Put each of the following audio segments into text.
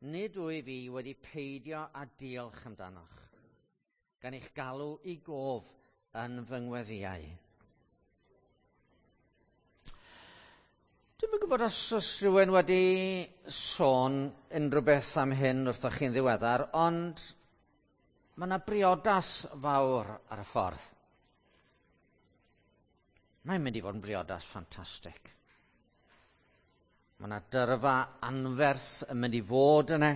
Nid wyf fi wedi peidio â diolch amdanoch, gan eich galw i gof yn fy ngweddïau. Dwi'm yn gwybod os oes rhywun wedi sôn unrhyw beth am hyn wrthoch chi'n ddiweddar, ond mae yna briodas fawr ar y ffordd. Mae'n mynd i fod yn briodas ffantastig. Mae yna dyrfa anferth yn mynd i fod yna.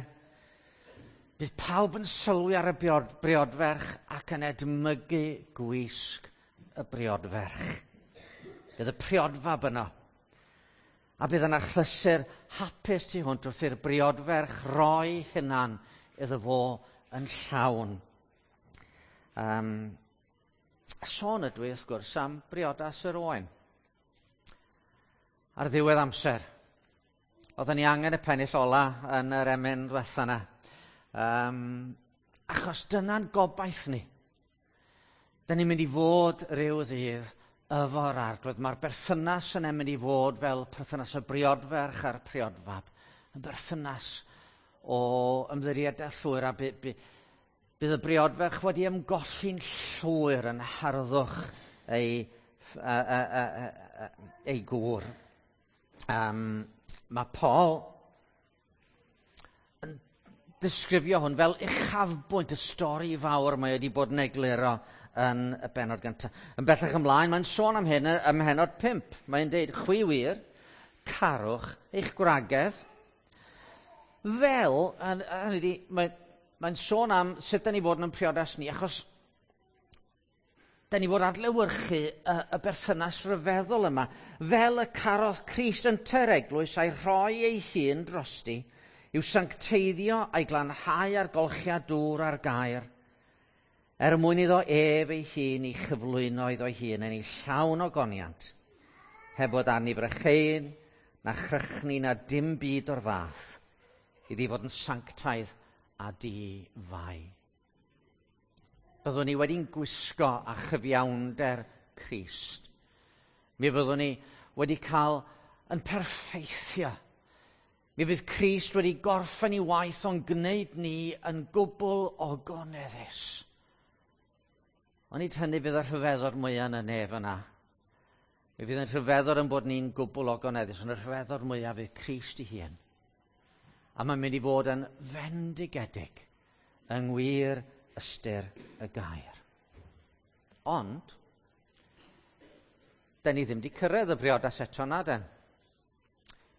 Bydd pawb yn sylwi ar y briodferch ac yn edmygu gwisg y briodferch. Bydd y priodfab yno. A bydd yna achlysur hapus tu hwnt wrth i'r briodferch roi hunan iddo fo yn llawn. Sôn ydw i, wrth gwrs, am briodas yr oen. Ar ddiwedd amser, oedden ni angen y pennill ola yn yr emyn ddiwetha yna. Achos dyna'n gobaith ni. Dyn ni'n mynd i fod rhyw ddydd efo'r Arglwydd. Mae'r berthynas yna mynd i fod fel perthynas y briodferch a'r priodfab. Yn berthynas o ymddiriedaeth llwyr, a bydd y briodferch wedi ymgolli'n llwyr yn harddwch ei gŵr. Mae Paul yn disgrifio hwn fel uchafbwynt y stori fawr mae wedi bod yn egluro yn y bennod gyntaf. Yn bellach ymlaen, mae'n sôn am hyn ym mhennod 5. Mae'n deud, chwi wir, carwch eich gwragedd, fel, hynny ydi, mae'n sôn am sut da ni fod yn priodas ni, achos da ni fod adlewyrchu y berthynas ryfeddol yma, fel y carodd Crist ynte'r eglwys a'i rhoi ei hun drosti, i'w sancteiddio a'i glanhau ar golchiad dŵr a'r gair, er mwyn iddo ef ei hun i chyflwyno iddo'i hun yn ei llawn ogoniant, heb fod arni brycheuyn, na chrychni, na dim byd o'r fath, iddi fod yn sanctaidd a di-fai. Byddwn ni wedi'n gwisgo â chyfiawnder Crist. Mi fyddwn ni wedi cael yn perffeithio. Mi fydd Crist wedi gorffen ei waith o'n gwneud ni yn gwbl ogoneddus. Ond nid hynny fydd y rhyfeddod mwyaf yn y nef yna. Mi fydd yn rhyfeddod yn bod ni'n gwbl ogoneddus, ond y rhyfeddod mwyaf fydd Crist ei hun. A mae'n mynd i fod yn fendigedig yng ngwir ystyr y gair. Ond, da ni ddim wedi cyrraedd y briodas eto na den.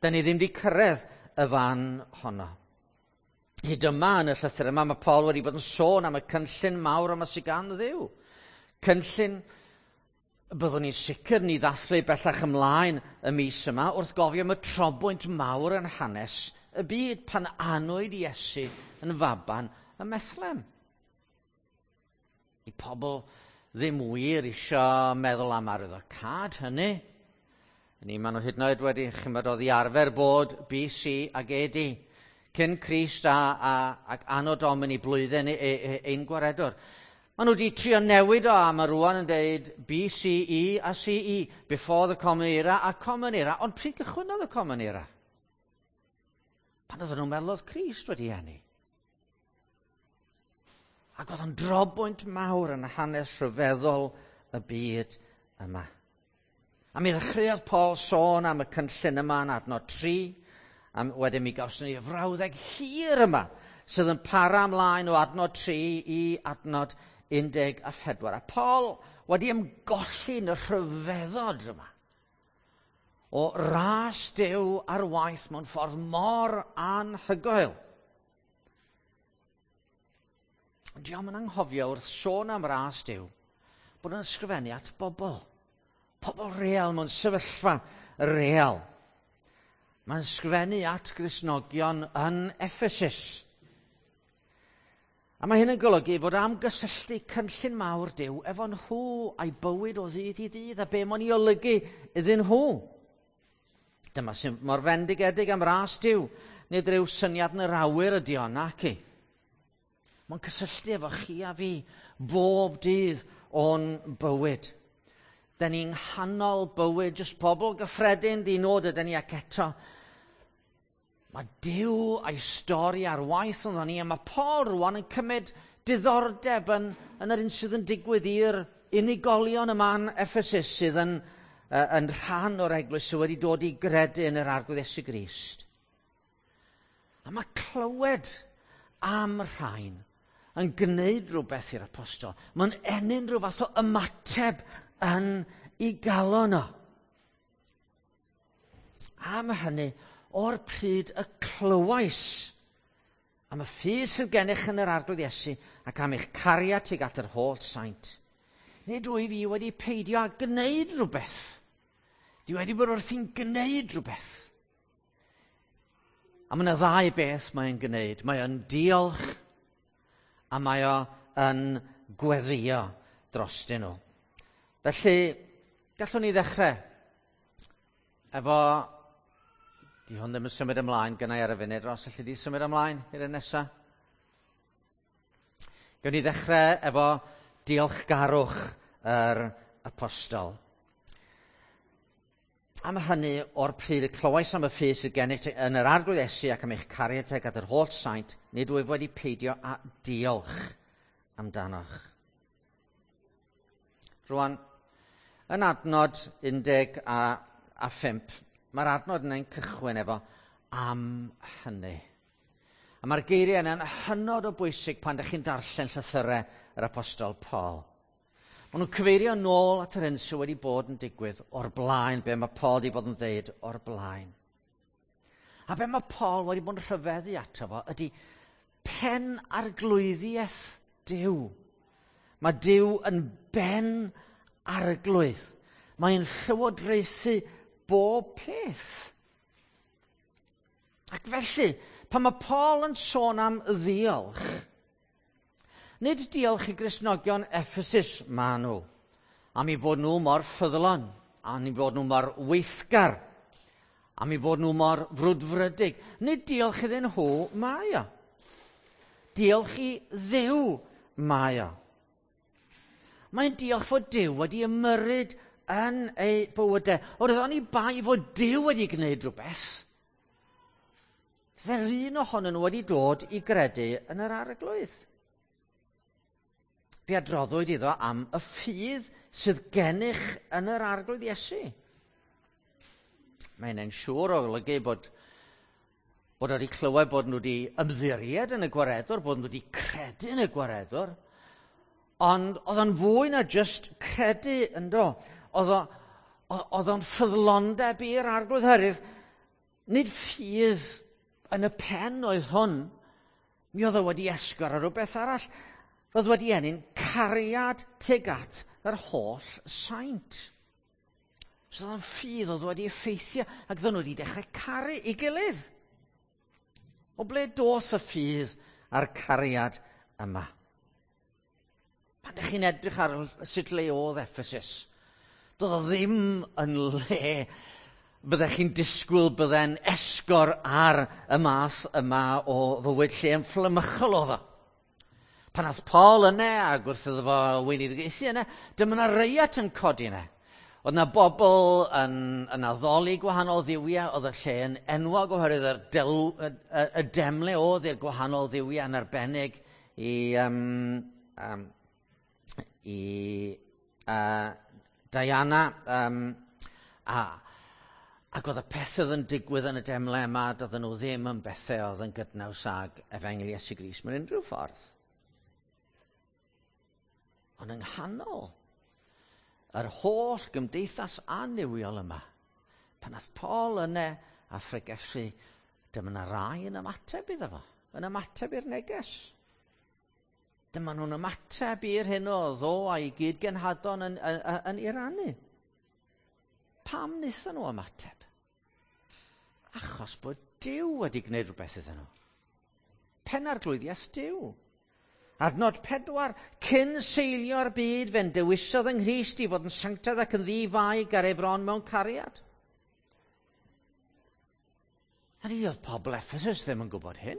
Da ni ddim wedi cyrraedd y fan honno. Hyd yma yn y llythyr yma, mae Paul wedi bod yn sôn am y cynllun mawr yma sydd gan Dduw. Cynllun byddwn ni'n sicr ni ddathlu bellach ymlaen y mis yma wrth gofio am y trobwynt mawr yn hanes y byd pan anwyd Iesu yn faban ym Methlem. I pobl ddim wir isio meddwl am arwyddocâd hynny. Ni, maen nhw hyd yn oed wedi, chimod, oedd i arfer bod BC ag AD, cyn Crist ac Anno Domini blwyddyn ein gwaredwr. Maen nhw wedi trio newid o a mae rwan yn deud BCE a CE, before the Common Era a Common Era. Ond pryd gychwynnodd y Common Era? Pan oedden nhw'n meddwl oedd Crist wedi eni. Ac oedd yn drobwynt mawr yn hanes rhyfeddol y byd yma. A mi ddechreuodd Paul sôn am y cynllun yma yn adnod 3, a wedyn mi gawson ni y frawddeg hir yma, sydd yn para ymlaen o adnod 3 i adnod 14. A Paul wedi ymgolli yn y rhyfeddod yma o ras Duw ar waith mewn ffordd mor anhygoel. Ond diolch yn anghofio wrth sôn am ras Duw bod yn ysgrifennu at bobl. Pobl real mewn sefyllfa real. Mae'n ysgrifennu at Gristnogion yn Ephesus. A mae hyn yn golygu fod am gysylltu cynllun mawr Duw efo nhw a'i bywyd o ddydd i ddydd a be mae'n ei olygu iddyn nhw. Dyma sy'n mor fendigedig am ras Duw. Nid rhyw syniad yn yr awyr ydi o, naci. Mae'n cysylltu efo chi a fi bob dydd o'n bywyd. Da ni'n nghanol bywyd, jyst pobl gyffredin di nod ydyn ni ac eto. Mae Duw a'i stori ar waith ynddo ni, a mae Paul rwan yn cymryd diddordeb yn yr un sydd yn digwydd i'r unigolion yma yn Ephesus sydd yn rhan o'r eglwys sydd wedi dod i gredu yn yr Arglwydd Iesu Grist. A mae clywed am rhain yn gwneud rhywbeth i'r apostol. Mae'n ennyn rhyw fath o ymateb yn ei galon o. Am hynny, o'r pryd y clywais am y ffydd sydd gennych yn yr Arglwydd Iesu ac am eich cariad tuag at yr holl saint. Nid wyf i wedi peidio â gwneud rhywbeth. Dwi wedi bod wrthi'n gwneud rhywbeth. A mae yna ddau beth mae'n gwneud. Mae o'n diolch a mae o yn gweddio drostyn nhw. Felly, gallwn ni ddechrau efo. Di hwn ddim yn symud ymlaen gynnau ar y funud, Ros, allu di symud ymlaen i'r un nesaf? Gawn ni ddechrau efo diolchgarwch yr apostol. Am hynny, o'r pryd y clywais am y ffydd sydd gennych yn yr Arglwydd Iesu ac am eich cariad tuag at yr holl saint, nid wyf wedi peidio â diolch amdanoch. Rwan, yn adnod 15, mae'r adnod yna'n cychwyn efo am hynny. A mae'r geiriau yna'n hynod o bwysig pan ydych chi'n darllen llythyrau yr apostol Paul. Maen nhw'n cyfeirio nôl at yr hyn sydd wedi bod yn digwydd o'r blaen, be mae Paul wedi bod yn dweud o'r blaen. A be mae Paul wedi bod yn rhyfeddu ato fo ydy pen arglwyddiaeth Duw. Mae Duw yn ben arglwydd. Mae'n llywodraethu bob peth. Ac felly, pan mae Paul yn sôn am ddiolch, nid diolch i Gristnogion Ephesus maen nhw, am i fod nhw mor ffyddlon, am i fod nhw mor weithgar, am i fod nhw mor frwdfrydig. Nid diolch iddyn nhw mae o. Diolch i Dduw mae o. Mae'n diolch fod Duw wedi ymyrryd yn ei bywydau. Oherwydd oni bai fod Duw wedi gwneud rhywbeth, byddai'r un ohonyn nhw wedi dod i gredu yn yr Arglwydd. Fe adroddwyd iddo am y ffydd sydd gennych yn yr Arglwydd Iesu. Mae hynny'n siŵr o olygu bod wedi clywed bod nhw wedi ymddiried yn y gwaredwr, bod nhw wedi credu yn y gwaredwr, ond oedd o'n fwy na just credu ynddo. Oedd o'n ffyddlondeb i'r Arglwydd herwydd. Nid ffydd yn y pen oedd hwn. Mi oedd o wedi esgor ar rhywbeth arall. Roedd wedi ennyn cariad tuag at yr holl saint. So oedd o'n ffydd oedd wedi effeithio ac oedden nhw wedi dechrau caru ei gilydd. O ble doth y ffydd a'r cariad yma? Pan ydych chi'n edrych ar sut le oedd Ephesus, doedd o ddim yn le byddech chi'n disgwyl bydde'n esgor ar y math yma o fywyd lle yn fflamychol oedd o. Pan ath Paul yna ac wrth iddo fo weinidogaethu yna, dyma yna reiat yn codi yna. Oedd yna bobl yn addoli gwahanol dduwiau, oedd y lle yn enwog oherwydd y demle oedd i'r gwahanol dduwiau yn arbennig i Diana, ac oedd y pethau oedd yn digwydd yn y demle yma, doedden nhw ddim yn bethau oedd yn gydnaws ag Efengyl Iesu Grist mewn unrhyw ffordd. Ond yng nghanol yr holl gymdeithas annuwiol yma, pan ath Paul yna a phregethu, dyma yna rai yn ymateb iddo fo, yn ymateb i'r neges. Dyma nhw'n ymateb i'r hyn oedd o a'i gyd-genhadon yn ei rannu. Pam wnaethon nhw ymateb? Achos bod Duw wedi gwneud rhywbeth iddyn nhw. Penarglwyddiaeth Duw. Adnod 4, cyn seilio'r byd fe'n dewisodd yng Nghrist i fod yn sanctaidd ac yn ddi-fai ar ei fron mewn cariad. A ni oedd pobl Ephesus ddim yn gwybod hyn.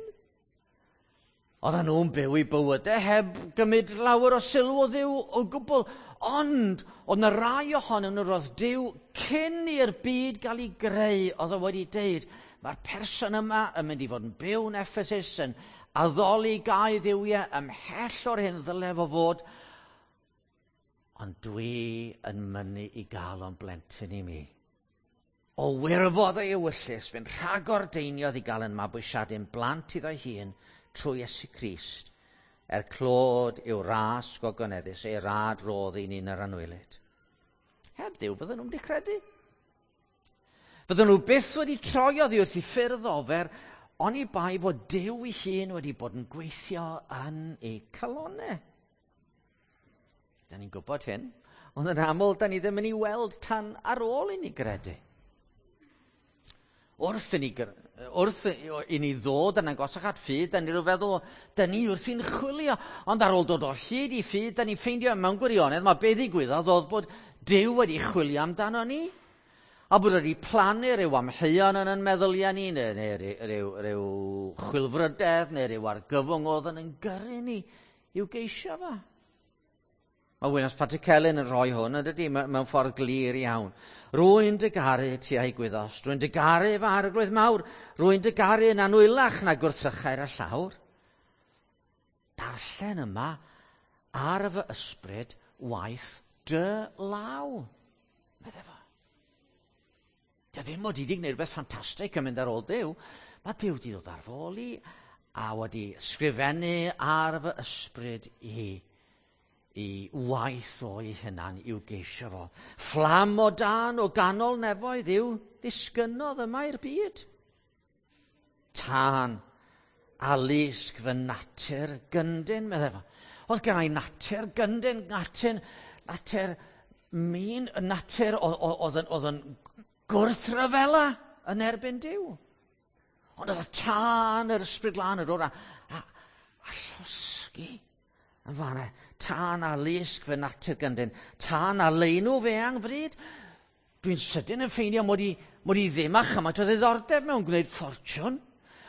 Oedden nhw'n byw i bywydau heb gymryd lawer o sylw o Dduw o gwbl. Ond oedd 'na rai ohonyn nhw roedd Duw cyn i'r byd gael ei greu, oedd o wedi deud, mae'r person yma yn mynd i fod yn byw yn Ephesus, yn addoli gau dduwiau ymhell o'r hyn ddyle fo fod, ond dwi yn mynnu i gael o'n blentyn i mi. O wirfodd ei ewyllys, fe'n rhagordeiniodd i gael yn mabwysiadu'n blant iddo'i hun trwy Iesu Grist, er clod i'w ras gogoneddus, ei rad rodd i ni'n yr anwylyd. Heb Dduw, fydden nhw'n wedi credu. Fydden nhw byth wedi troi oddi wrth i ffyrdd ofer, oni bai fod Duw ei hun wedi bod yn gweithio yn eu calonau. Da ni'n gwybod hyn, ond yn aml, da ni ddim yn ei weld tan ar ôl i ni gredu. Wrth i ni ddod yn agosach at ffydd, da ni rhyw feddwl, da ni wrthi'n chwilio. Ond ar ôl dod o hyd i ffydd, da ni'n ffeindio mewn gwirionedd, mae be ddigwyddodd oedd bod Duw wedi chwilio amdano ni. A bod wedi plannu rhyw amheuon yn ein meddyliau ni, neu rhyw chwilfrydedd, neu rhyw argyfwng oedd yn gyrru ni i'w geisio fo. Mae Wynos Pantycelyn yn rhoi hwn, yn dydy, mewn ffordd glir iawn. Rwy'n dy garu ti a'i gwyddost, rwy'n dy garu fy arglwydd mawr, rwy'n dy garu yn anwylach na gwrthrychau'r y llawr. Darllen yma ar fy ysbryd waith dy law, medde fo. Dio ddim mod i wedi gwneud rhywbeth ffantastig yn mynd ar ôl Duw. Mae Duw wedi dod ar fy ôl i a wedi sgrifennu ar fy ysbryd i waith o'i hunan i'w geisio fo. Fflam o dan o ganol nefoedd yw ddisgynnodd yma i'r byd. Tân a lusg fy natur gyndyn, meddai fo. Oedd gen i natur gyndyn, natur min, natur oedd yn gwrthryfela yn erbyn Duw. Ond oedd y tân yr ysbryd glân yn dod a llosgi yn fanna. Tân a lusg fy natur gyndyn, tân a leinw fe angfryd. Dwi'n sydyn yn ffeindio mod i ddim â chymaint o ddiddordeb mewn gwneud ffortiwn.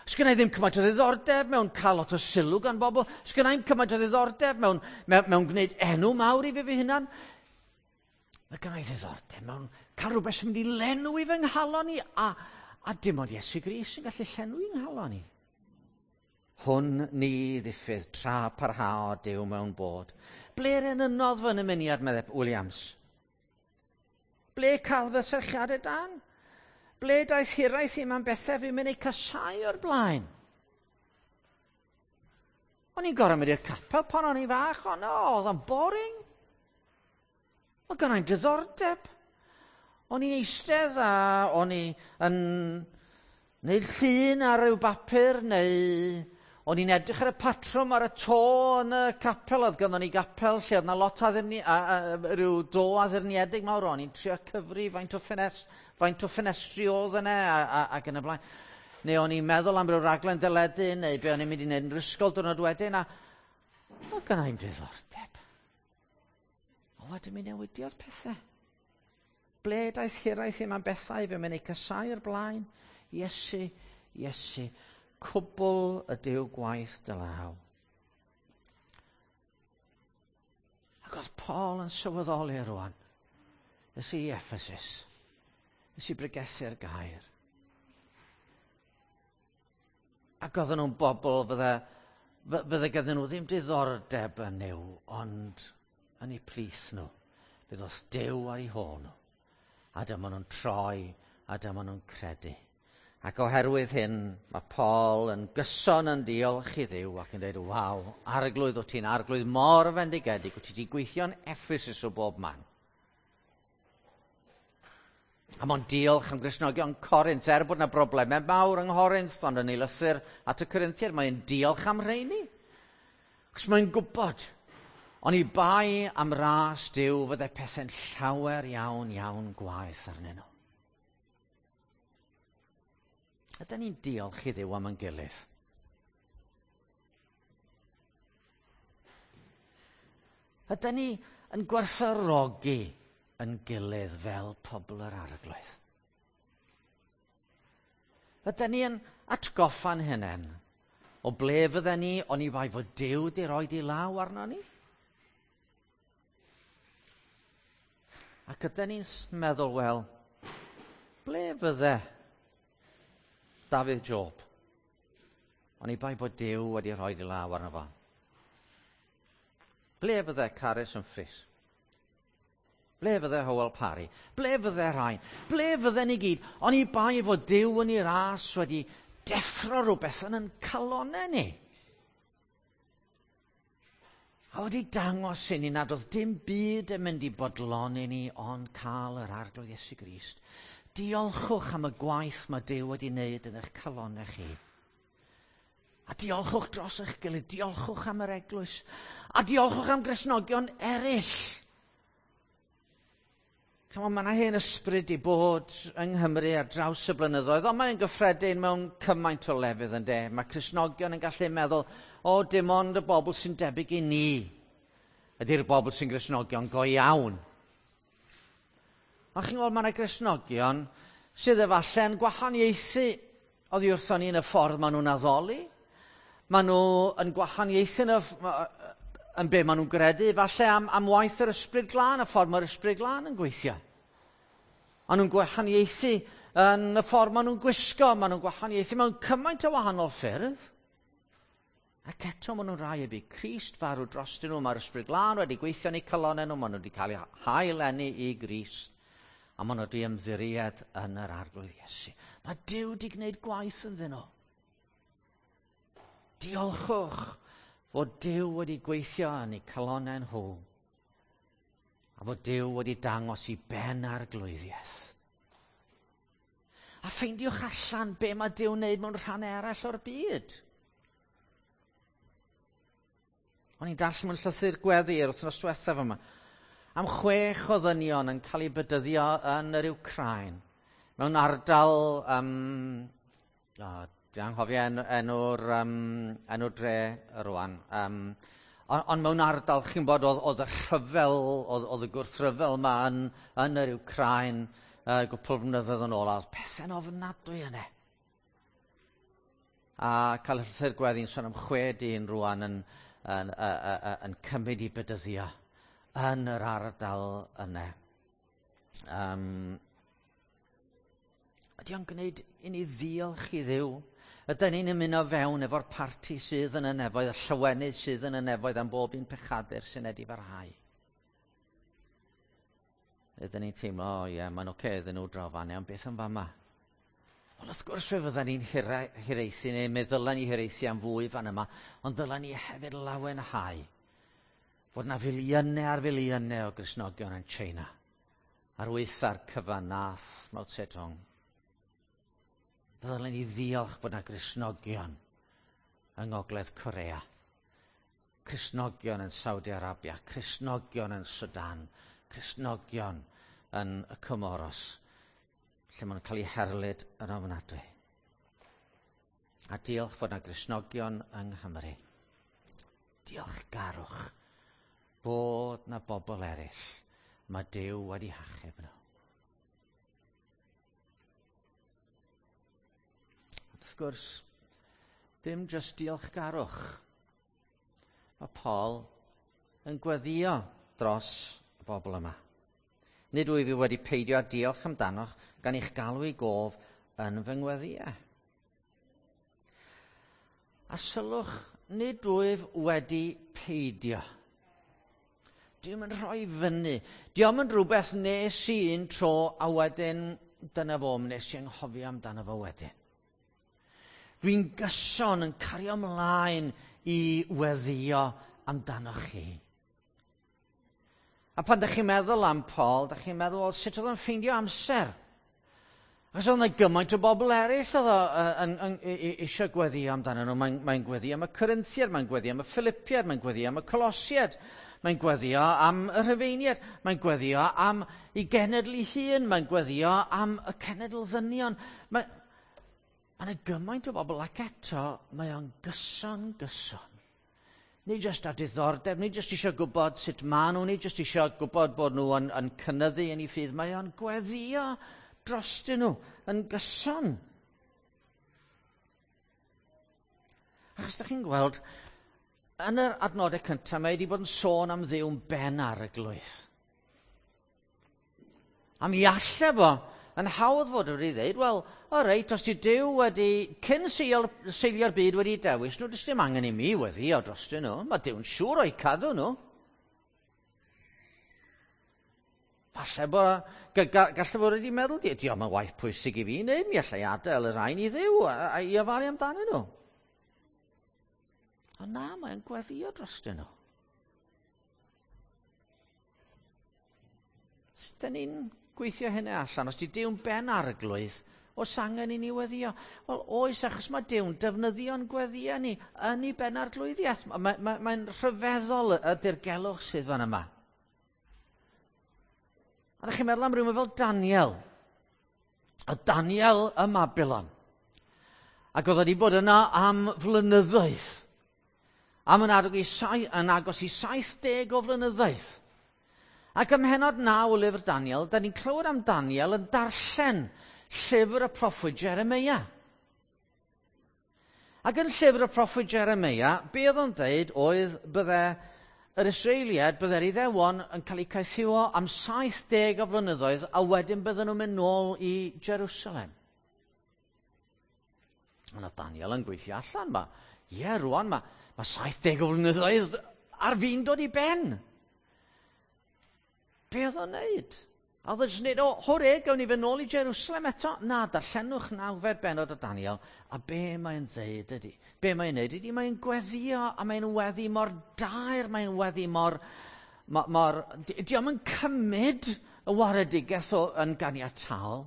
Sgynna i ddim cymaint o ddiddordeb mewn cael lot o sylw gan bobl. Sgynna i'm cymaint o ddiddordeb mewn gwneud enw mawr i fi fy hunan. Mae gynna i ddiddordeb mewn cael rhywbeth sy'n mynd i lenwi fy nghalon i, a dim ond Iesu Grist sy'n gallu llenwi nghalon i. Hwn ni ddiffydd tra parhao Duw mewn bod. Ble'r enynnodd fy nymuniad, meddai Williams? Ble cael fy serchiadau dan? Ble daeth hiraeth i mewn bethau fi'n mynd eu casau o'r blaen? O'n i'n gorfod mynd i'r capel pan o'n i'n fach, ond oedd o'n boring. Oedd gynna i'm diddordeb. O'n i'n eistedd a o'n i yn neud llun ar ryw bapur, neu o'n i'n edrych ar y patrwm ar y to yn y capel. Oedd gynnon ni gapel lle oedd 'na lot rhyw do addurniedig mawr. O'n i'n trio cyfri faint o ffenestri oedd yna ac yn y blaen. Neu o'n i'n meddwl am ryw raglen deledu, neu be o'n i'n mynd i wneud yn yr ysgol diwrnod wedyn, a oedd gynna i'm diddordeb. Ond wedyn mi newidiodd pethau. Ble daeth hiraeth i'm am bethau fe mynd eu casau o'r blaen? Iesu, Iesu, cwbl ydyw gwaith dy law. Ac oedd Paul yn sylweddoli rwan. Es i Ephesus. Es i bregethu'r gair. Ac oedden nhw'n bobl fydde gyda nhw ddim diddordeb yn Nuw, ond yn eu plith nhw. Bydd oedd Duw ar eu hôl nhw. A dyma nhw'n troi, a dyma nhw'n credu. Ac oherwydd hyn, mae Paul yn gyson yn diolch i Dduw ac yn dweud, waw, arglwydd, o ti'n arglwydd mor fendigedig, wyt ti wedi gweithio'n Ephesus o bob man. A mae'n diolch am Gristnogion Corinth, er bod yna broblemau mawr yng Nghorinth, ond yn ei lythyr at y Corinthiaid, mae'n diolch am rheini. Achos mae'n gwybod, oni bai am ras Duw fyddai pethau'n llawer iawn, iawn gwaeth arnyn nhw. Ydy ni'n diolch i Dduw am ein gilydd? Ydy ni yn gwerthfawrogi yn gilydd fel pobl yr arglwydd? Ydy ni yn atgoffa'n hunain O ble fydden ni, oni bai fod Duw 'di roid ei law arno ni? Ac ydy ni'n meddwl, wel, ble fydde Dafydd Job? Oni bai bod Duw wedi rhoi ei law arno fo. Ble fydde Carys Humphreys? Ble fydde Hywel Parry? Ble fydde rhain? Ble fydde ni gyd? Oni bai fod Duw yn ei ras wedi deffro rhywbeth yn ein calonau ni. A wedi dangos i ni nad oedd dim byd yn mynd i bodloni ni ond cael yr Arglwydd Iesu Grist. Diolchwch am y gwaith mae Duw wedi wneud yn eich calonau chi. A diolchwch dros eich gilydd, diolchwch am yr eglwys, a diolchwch am Gristnogion eraill. Chymod, mae yna hen ysbryd i bod yng Nghymru ar draws y blynyddoedd, ond mae'n gyffredin mewn cymaint o lefydd yn de. Mae Cristnogion yn gallu meddwl, o, dim ond y bobl sy'n debyg i ni ydy'r bobl sy'n Gristnogion go iawn. Ond chi'n gweld, mae yna Gristnogion sydd efallai'n gwahaniaethu oddi wrthon ni yn y ffordd maen nhw'n addoli. Maen nhw yn gwahaniaethu yn, y, yn be maen nhw'n gredu, falle am, am waith yr Ysbryd Glân, y ffordd mae'r Ysbryd Glân yn gweithio. Maen nhw'n gwahaniaethu yn y ffordd maen nhw'n gwisgo, maen nhw'n gwahaniaethu mewn cymaint o wahanol ffyrdd. Ac eto maen nhw'n rhai y bu Crist farw drostyn nhw, mae'r Ysbryd Glân wedi gweithio yn eu calonau nhw, maen nhw wedi cael eu hail-eni i Grist, a maen nhw wedi ymddiried yn yr Arglwydd Iesu. Mae Duw wedi gwneud gwaith ynddyn nhw. Diolchwch fod Duw wedi gweithio yn eu calonau nhw, a fod Duw wedi dangos i ben arglwyddiaeth. A ffeindiwch allan be mae Duw'n wneud mewn rhannau eraill o'r byd. O'n i'n darllen mewn llythyr gweddi yr wythnos diwethaf yma, am 6 o ddynion yn cael eu bedyddio yn yr Wcráin, mewn ardal, dwi'n anghofio enw'r enw dre rwan, ond mewn ardal, chi'n bod, oedd y rhyfel, oedd y gwrthryfel yma yn yr Wcráin gwpl o flynyddoedd yn ôl, a oedd pethau'n ofnadwy yna. A cael y llythyr gweddi'n sôn am 6 dyn rwan yn cymryd i bedyddio yn yr ardal yna. Ydy o'n gwneud i ni ddiolch i Dduw? Ydyn ni'n ymuno fewn efo'r parti sydd yn y nefoedd, y llawenydd sydd yn y nefoedd am bob un pechadur sy'n edifarhau? Ydyn ni'n teimlo, o ie, mae'n oce iddyn nhw draw fan, ond beth am fama? Wel, wrth gwrs fe fydden ni'n hiraethu, neu meddylen ni hiraethu am fwy fan yma, ond ddylen ni hefyd lawenhau fod na filiynau ar filiynau o Gristnogion yn China, ar waetha'r cyfan nath Mao Zedong. Ddylen ni ddiolch bod na Gristnogion yng Ngogledd Corea, Cristnogion yn Saudi Arabia, Cristnogion yn Sudan, Cristnogion yn y Comoros, lle maen nhw'n cael eu herlid yn ofnadwy. A diolch fod na Gristnogion yng Nghymru. Diolchgarwch bod na bobl eraill mae Duw wedi hachub nhw. Wrth gwrs, dim jyst diolchgarwch. Mae Paul yn gweddio dros y bobl yma. Nid wyf i wedi peidio â diolch amdanoch gan eich galw i gof yn fy ngweddïau. A sylwch, nid wyf wedi peidio. Dwi'm yn rhoi fyny. Dio'm yn rhywbeth nes i un tro a wedyn dyna fo, nes i anghofio amdano fo wedyn. Dwi'n gyson yn cario ymlaen i weddïo amdanoch chi. A pan ydych chi'n meddwl am Paul, ydych chi'n meddwl, wel, sut oedd o'n ffeindio amser? Achos oedd yna gymaint o bobl eraill oedd o eisiau gweddio amdano nhw. Mae'n gweddio am y Corinthiaid, mae'n gweddio am y Philippiaid, mae'n gweddio am y Colosiaid, mae'n gweddio am y Rhufeiniaid, mae'n gweddio am ei genedl ei hun, mae'n gweddio am y cenedl ddynion. Mae yna gymaint o bobl ac eto mae o'n gyson gyson. Nid jyst â diddordeb, nid jyst eisiau gwybod sut maen nhw, nid jyst eisiau gwybod bod nhw yn cynyddu yn eu ffydd. Mae o'n gweddio drostyn nhw yn gyson. Achos ydych chi'n gweld, yn yr adnodau cyntaf, mae wedi bod yn sôn am Dduw'n ben arglwydd. A mi alle fo yn hawdd fod wedi dweud, wel, o reit, os ti Duw wedi, cyn seilio'r byd wedi dewis nhw, does dim angen i mi weddïo drostyn nhw. Mae Duw'n siŵr o'u cadw nhw. Falle bod, gallai fod wedi meddwl, diolch yn waith pwysig i fi wneud, mi allai adael y rhain i Dduw a i ofalu amdanyn nhw. Ond na, mae'n gweddïo drostyn nhw. Sut dyn ni'n gweithio hynny allan? Os di Duw'n ben arglwydd, oes angen i ni weddio? Wel, oes, achos mae Duw'n defnyddio'n gweddio ni yn ei ben arglwyddiaeth. Mae'n mae, mae rhyfeddol y dirgelwch sydd fan yma. A ddech chi'n meddwl am rhywun fel Daniel. A Daniel ym Mabilon. Ac oedd wedi bod yna am flynyddoedd. Am yn agos i 70 o flynyddoedd. Ac ym mhennod 9 o lyfr Daniel, da ni'n clywed am Daniel yn darllen llyfr y proffwyd Jeremia. Ac yn llyfr y proffwyd Jeremia, be oedd o'n dweud oedd bydde yr Israeliad, bydde'r Iddewon yn cael eu caethiwo am 70 o flynyddoedd a wedyn bydden nhw'n mynd nôl i Jerusalem. Ond oedd Daniel yn gweithio allan, ma, ie, rwan, mae 70 o flynyddoedd ar fin dod i ben. Be oedd o'n neud? A oedd o'n jyst neud, o, hwre, gawn ni fynd nôl i Jerusalem eto? Na, darllenwch 9fed bennod o Daniel, a be mae'n dweud ydy? Be mae'n neud ydy, mae'n gweddio, a mae'n weddi mor daer, mae'n weddi mor... mor dio'm yn cymryd y waredigaeth o yn ganiataol,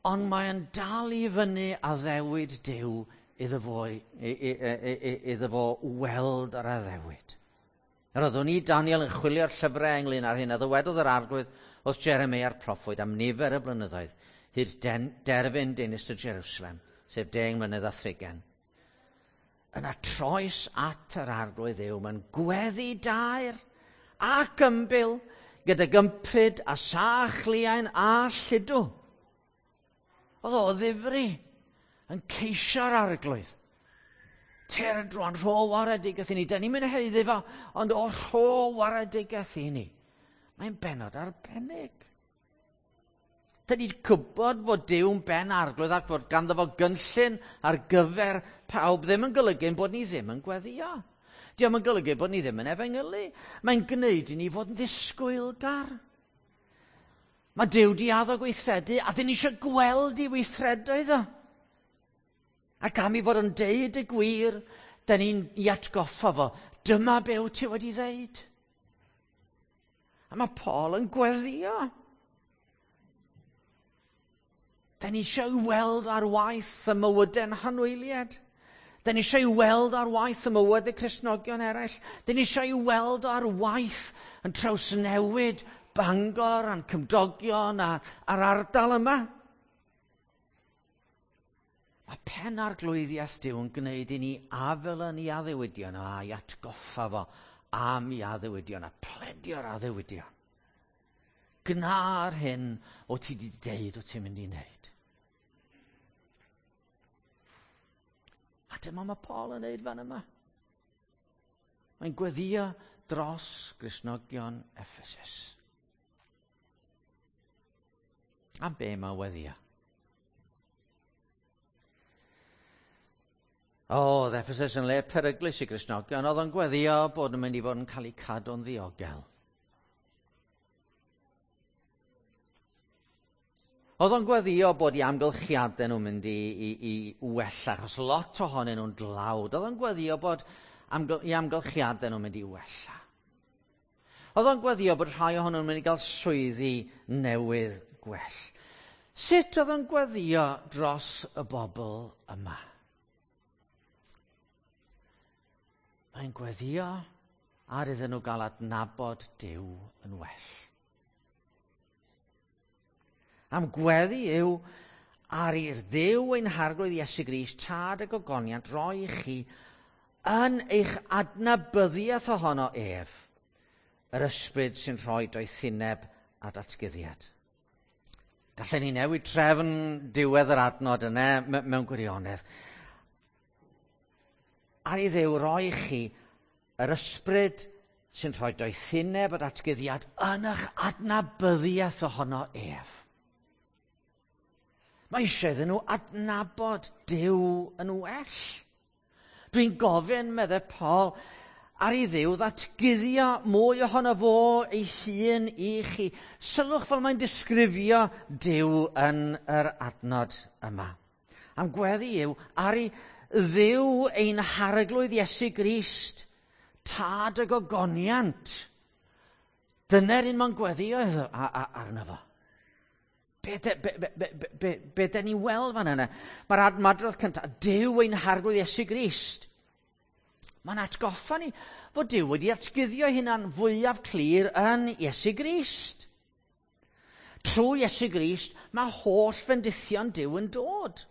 ond mae'n dal i fyny addewid Duw iddo fo, iddo fo weld yr addewid. Yr oeddwn i, Daniel, yn chwilio'r llyfrau ynglyn â'r hyn a ddywedodd yr arglwydd wrth Jeremia'r proffwyd am nifer y blynyddoedd, hyd derfyn dinistr Jerusalem, sef 10 mlynedd a thrigain. Yna troes at yr arglwydd Dduw, mae'n gweddi daer ac ymbil gyda gympryd a sach liain a lludw. Oedd o ddifri yn ceisio'r arglwydd. Tyrd rwan, rho waredigaeth i ni. Da ni'n mynd haeddu fo, ond o rho waredigaeth i ni. Mae'n bennod arbennig. Da ni'n gwybod fod Duw'n ben arglwydd ac fod ganddo fo gynllun ar gyfer pawb ddim yn golygu bod ni ddim yn gweddio. Dio'm yn golygu bod ni ddim yn efengylu. Mae'n gwneud i ni fod yn ddisgwylgar. Mae Duw di addo gweithredu a dyn ni eisiau gweld i weithredoedd o. Ac am i fod yn deud y gwir, da ni'n i atgoffa fo, dyma be wyt ti wedi ddeud. A mae Paul yn gweddio. Da ni eisiau weld ar waith y mywydau'n hanwyliad. Da ni eisiau weld ar waith y mywydau Cristnogion eraill. Da ni eisiau weld ar waith yn trawsnewid Bangor a'n cymdogion a'r ardal yma. Mae pen arglwyddiaeth Duw yn gwneud i ni afel yn ei addewidion a'i atgoffa fo am ei addewidion a pledio'r addewidion. Gna'r hyn o ti wedi deud o ti'n mynd i wneud. A dyma mae Paul yn neud fan yma. Mae'n gweddio dros Gristnogion Ephesus. A be mae weddio? O, oedd Ephesus yn le peryglus i Gristnogion, oedd o'n gweddio bod yn mynd i fod yn cael eu cadw'n ddiogel. Oedd o'n gweddio bod i amgylchiadau nhw'n mynd i wella, achos lot ohonyn nhw'n dlawd. Oedd o'n gweddio bod i amgylchiadau nhw'n mynd i wella. Oedd o'n gweddio bod rhai ohonyn nhw'n mynd i gael swyddi newydd gwell. Sut oedd o'n gweddio dros y bobl yma? Mae'n gweddio ar iddyn nhw gael adnabod Duw yn well. Am gweddi yw ar i'r Dduw ein harglwydd Iesu Grist, tad y gogoniant, roi i chi yn eich adnabyddiaeth ohono ef, yr ysbryd sy'n rhoi doethineb a datguddiad. Gallen ni newid trefn diwedd yr adnod yna mewn gwirionedd. ar i Dduw roi chi yr ysbryd sy'n rhoi doethineb a datguddiad yn eich adnabyddiaeth ohono ef. Mae eisiau iddyn nhw adnabod Duw yn well. Dwi'n gofyn, meddai Paul, ar i Dduw ddatguddio mwy ohono fo ei hun i chi. Sylwch fel mae'n disgrifio Duw yn yr adnod yma. Am gweddi yw ar i Dduw ein harglwydd Iesu Grist, tad y gogoniant. Dyna'r un mae'n gweddio arno fo. Be, de, be, be, be, be, be den ni'n weld fan yna? Mae'r admadrodd cyntaf, Duw ein harglwydd Iesu Grist. Mae'n atgoffa ni fod Duw wedi atguddio hunan fwyaf clir yn Iesu Grist. Trwy Iesu Grist, mae holl fendithion Duw yn dod.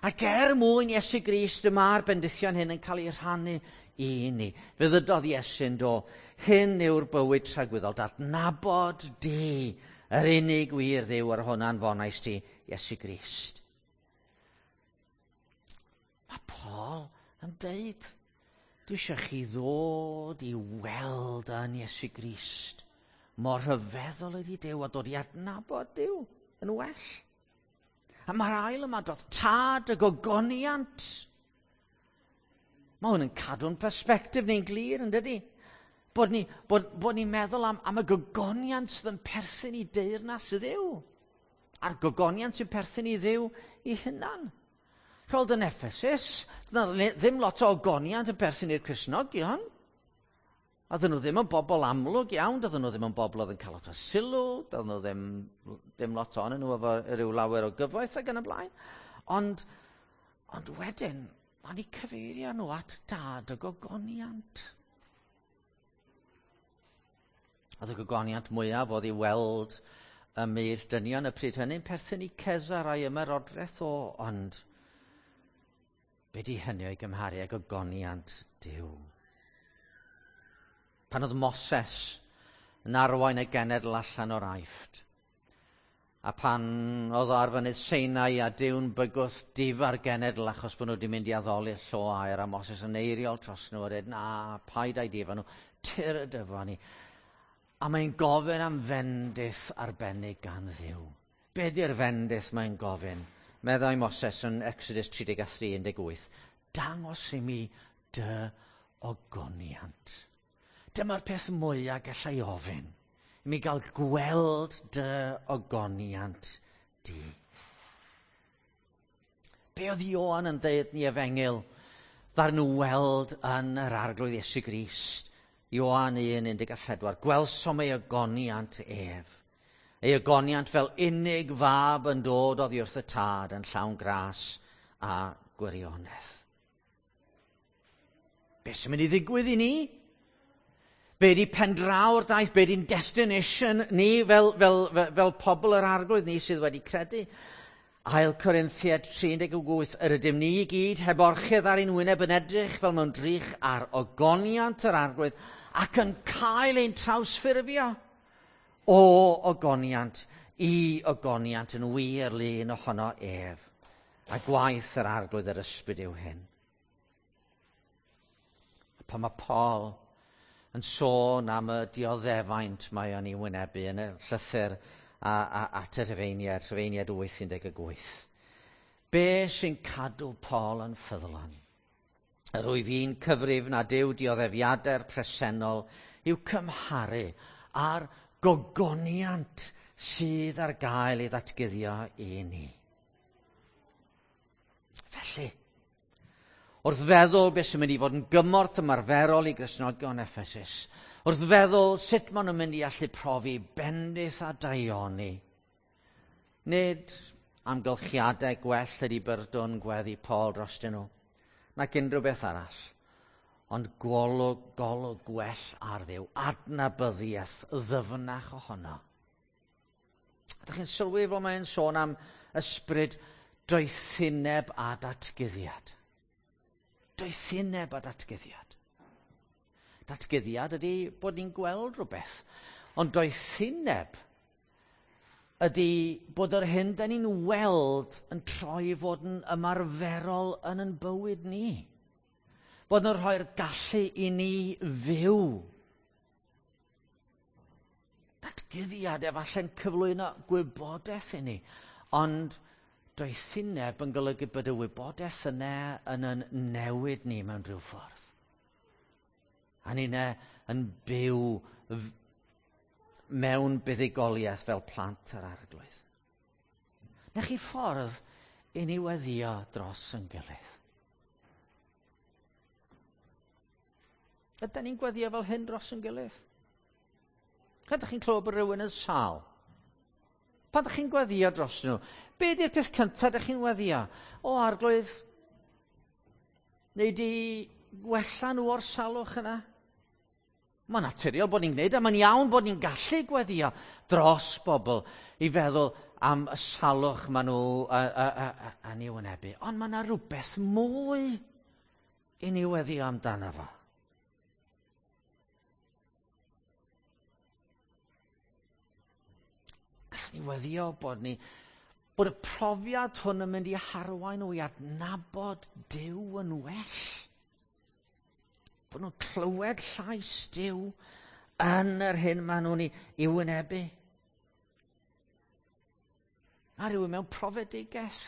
Ac er mwyn Iesu Grist, y mae'r bendithion hyn yn cael eu rhannu i ni. Fe ddydodd Iesu'n do, hyn yw'r bywyd tragwyddol, dadnabod di, yr unig wir Dduw ar hwnna'n fonais ti, Iesu Grist. Mae Paul yn deud, dwi eisiau chi ddod i weld yn Iesu Grist. Mor rhyfeddol ydy Duw a dod i adnabod Duw yn well. A mae'r ail yma dod tad y gogoniant. Mae hwn yn cadw'n persbectif ni'n glir, yn dydy? Bod ni'n bod, bod ni meddwl am, am y gogoniant sydd yn perthyn i deyrnas y Dduw. A'r gogoniant sy'n perthyn i Dduw i hunan. Roedd yn Ephesus, ddim lot o ogoniant yn perthyn i'r Cristnogion. A dyn nhw ddim yn bobl amlwg iawn, dydyn nhw ddim yn bobl oedd yn cael lot o sylw, dydyn nhw ddim, ddim lot ohonyn nhw efo rhyw lawer o gyfoeth ac yn y blaen. Ond, ond wedyn, mae'n eu cyfeirio nhw at dad y gogoniant. Oedd y gogoniant mwyaf oedd i weld y myd dynion y pryd hynny'n perthyn i Cesar a'i ymerodraeth o, ond be di hynny o'i gymharu ag ogoniant Duw? Pan oedd Moses yn arwain y genedl allan o'r Aifft, a pan oedd o ar fynydd Sinai a Duw'n bygwth difa'r genedl achos bod nhw wedi mynd i addoli'r llo aur, a Moses yn eiriol tros nhw a dweud, na, paid â'i difa nhw, tyr y dyfa ni. A mae'n gofyn am fendith arbennig gan Dduw. Be di'r fendith mae'n gofyn? Meddai Moses yn Exodus 33:18, dangos i mi dy ogoniant. Dyma'r peth mwyaf gallai ofyn, i mi gael gweld dy ogoniant di. Be oedd Ioan yn dweud ni efengyl? Ddaru nhw weld yn yr Arglwydd Iesu Grist. Ioan 1:14. Gwelsom ei ogoniant ef. Ei ogoniant fel unig fab yn dod oddi wrth y tad yn llawn gras a gwirionedd. Be sy'n mynd i ddigwydd i ni? Be di pendraw'r daith? Be di'n destination ni fel, fel, fel, fel pobl yr Arglwydd ni sydd wedi credu? Ail Corinthiaid 3:18, yr ydym ni i gyd heb orchudd ar ein wyneb yn edrych fel mewn drych ar ogoniant yr Arglwydd ac yn cael ein trawsffurfio o ogoniant i ogoniant yn wir lun ohono ef. A gwaith yr Arglwydd yr ysbryd yw hyn. A pan mae Paul yn sôn am y dioddefaint mae o'n ei wynebu yn y llythyr a, a, at y Rhufeiniaid, Rhufeiniaid 8:18. Be sy'n cadw Paul yn ffyddlon? Yr wyf i'n cyfrif nad yw dioddefiadau'r presennol i'w cymharu â'r gogoniant sydd ar gael ei ddatguddio i ni. Felly, wrth feddwl beth sy'n mynd i fod yn gymorth ymarferol i Gristnogion Ephesus, wrth feddwl sut maen nhw'n mynd i allu profi bendith a daioni, nid amgylchiadau gwell ydy byrdwn gweddi Paul drostyn nhw, nac unrhyw beth arall, ond golwg, golwg gwell ar Dduw, adnabyddiaeth ddyfnach ohono. Ydych chi'n sylwi fod mae'n sôn am ysbryd doethineb a datguddiad? Doethineb a datguddiad. Datguddiad ydy bod ni'n gweld rhywbeth, ond doethineb ydy bod yr hyn da ni'n weld yn troi fod yn ymarferol yn yn bywyd ni. Bod nhw'n rhoi'r gallu i ni fyw. Datguddiad efallai'n cyflwyno gwybodaeth i ni, ond doethineb yn golygu bod y wybodaeth yna yn yn newid ni mewn rhyw ffordd. A ni'ne yn byw mewn buddugoliaeth fel plant yr Arglwydd. Na chi ffordd i ni weddio dros yn gilydd. Ydyn ni'n gweddio fel hyn dros yn gilydd? Ydych chi'n clywed bod rhywun yn sâl? Pan ydych chi'n gweddio dros nhw, be ydy'r peth cyntaf ydych chi'n weddio? O, Arglwydd, neu di gwella nhw o'r salwch yna? Mae'n naturiol bod ni'n gwneud, a mae'n iawn bod ni'n gallu gweddio dros bobl i feddwl am y salwch maen nhw yn ei wynebu. Ond mae yna rhywbeth mwy i ni weddio amdano fo. Gallwn ni weddio bod ni bod y profiad hwn yn mynd i harwain nhw i adnabod Duw yn well. Bod nhw'n clywed llais Duw yn yr hyn maen nhw'n ei wynebu. A rhywun mewn profedigaeth.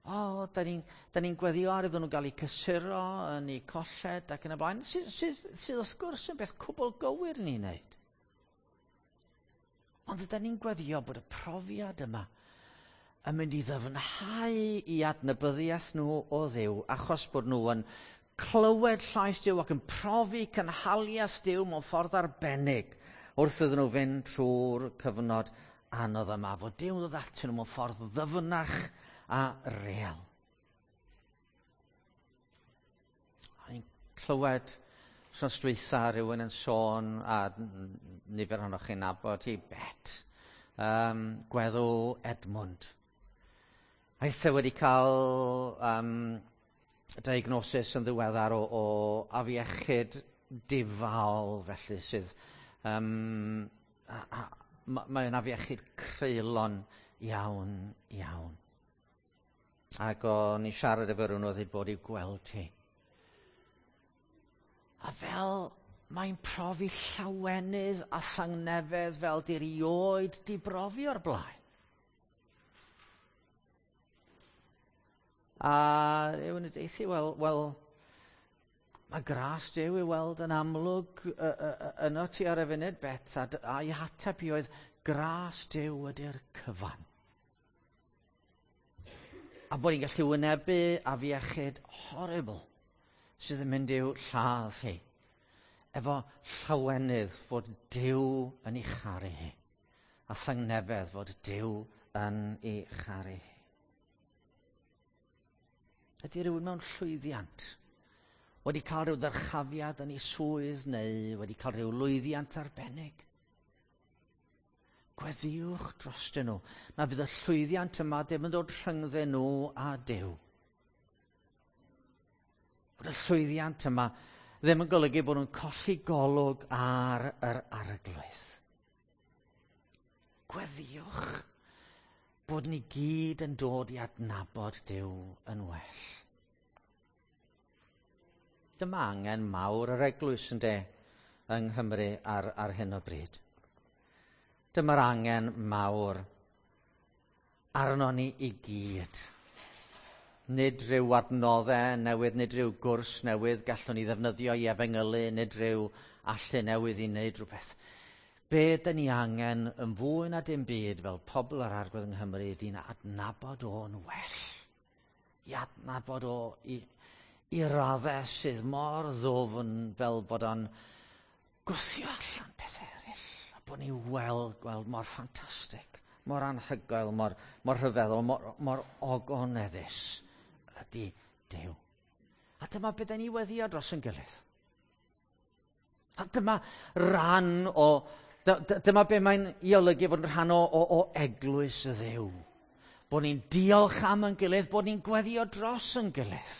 O, da ni'n ni gweddio ar iddyn nhw gael eu cysuro yn eu colled ac yn y blaen, sydd, sydd, sydd wrth gwrs yn beth cwbl gywir ni'n neud. Ond ydy ni'n gweddio bod y profiad yma yn mynd i ddyfnhau i adnabyddiaeth nhw o Dduw, achos bod nhw yn clywed llais Duw ac yn profi cynhaliaeth Duw mewn ffordd arbennig wrth iddyn nhw fynd trwy'r cyfnod anodd yma, fod Duw yn dod atyn nhw mewn ffordd ddyfnach a real. A ni'n clywed wrthnos dwytha rhywun yn sôn, a nifer ohonoch chi'n nabod hi, Bet, gweddw Edmund. Aeth e wedi cael diagnosis yn ddiweddar o afiechyd difaol, felly sydd mae'n afiechyd creulon iawn, iawn. Ac o'n i'n siarad efo rhywun oedd wedi bod i'w gweld hi. A fel mae'n profi llawenydd a thangnefedd fel di rioed di brofi o'r blaen. A rhywun yn deithi, wel, mae gras Duw i weld yn amlwg yno ti ar y funud, Bet, a'i hateb i oedd, gras Duw ydy'r cyfan. A bod ni'n gallu wynebu afiechyd horrible sydd yn mynd i'w lladd hi, efo llawenydd fod Duw yn ei charu hi, a thangnefedd fod Duw yn ei charu hi. Ydy rhywun mewn llwyddiant wedi cael rhyw ddyrchafiad yn ei swydd neu wedi cael rhyw lwyddiant arbennig? Gweddiwch drostyn nhw na fydd y llwyddiant yma ddim yn dod rhyngddyn nhw a Duw. Bod y llwyddiant yma ddim yn golygu bod nhw'n colli golwg ar yr Arglwydd. Gweddiwch bod ni gyd yn dod i adnabod Duw yn well. Dyma angen mawr yr eglwys ynde yng Nghymru ar hyn o bryd. Dyma'r angen mawr arno ni i gyd. Nid rhyw adnoddau newydd, nid rhyw gwrs newydd gallwn ni ddefnyddio i efengylu, nid rhyw allu newydd i wneud rhywbeth. Be dyn ni angen yn fwy na dim byd fel pobl yr Arglwydd yng Nghymru ydy'n adnabod o'n well. I adnabod o i raddau sydd mor ddwfn fel bod o'n gwthio allan pethau eraill. A bod ni'n gweld mor ffantastig, mor anhygoel, mor rhyfeddol, mor ogoneddus ydy Duw. A dyma beth ni weddio dros yn gilydd. A dyma ran o, dyma be mae'n i olygu fod yn rhan o eglwys y Dduw. Bod ni'n diolch am yn gilydd, bod ni'n gweddio dros yn gilydd.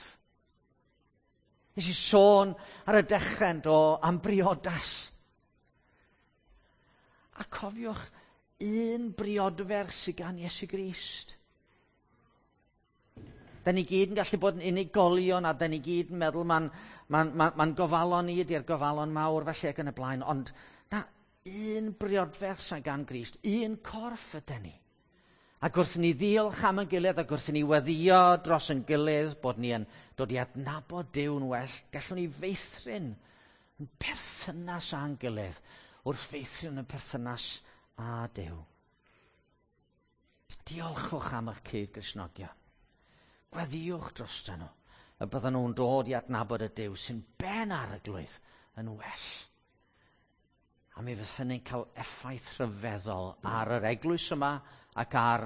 Nes i sôn ar y dechrau do am briodas. A cofiwch un briodferch sydd gan Iesu Grist. Da ni gyd yn gallu bod yn unigolion a da ni gyd yn meddwl ma'n ma, ma, ma gofalon ni ydy'r gofalon mawr felly ac yn y blaen. Ond na, un briodferch sy'n gan Grist, un corff ydy ni. Ac wrth ni ddiolch am yn gilydd ac wrth ni weddio dros yn gilydd bod ni yn dod i adnabod Duw'n well, gallwn ni feithrin yn perthynas â'n gilydd wrth feithrin yn perthynas â Duw. Diolchwch am eich cyd-Gristnogion. Gweddïwch drostyn nhw y bydden nhw'n dod i adnabod y Duw sy'n ben ar y glwydd yn well. A mi fydd hynny'n cael effaith rhyfeddol ar yr eglwys yma ac ar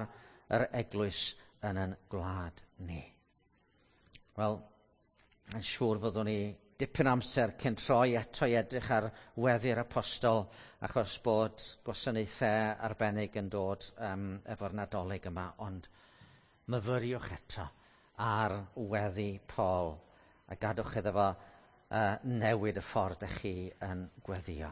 yr eglwys yn yn gwlad ni. Wel, yn siŵr fyddwn ni dipyn amser cyn troi eto i edrych ar weddi'r apostol achos bod gwasanaethau arbennig yn dod efo'r Nadolig yma, ond myfyriwch eto ar weddi Paul a gadwch iddo fo newid y ffordd ych chi yn gweddio.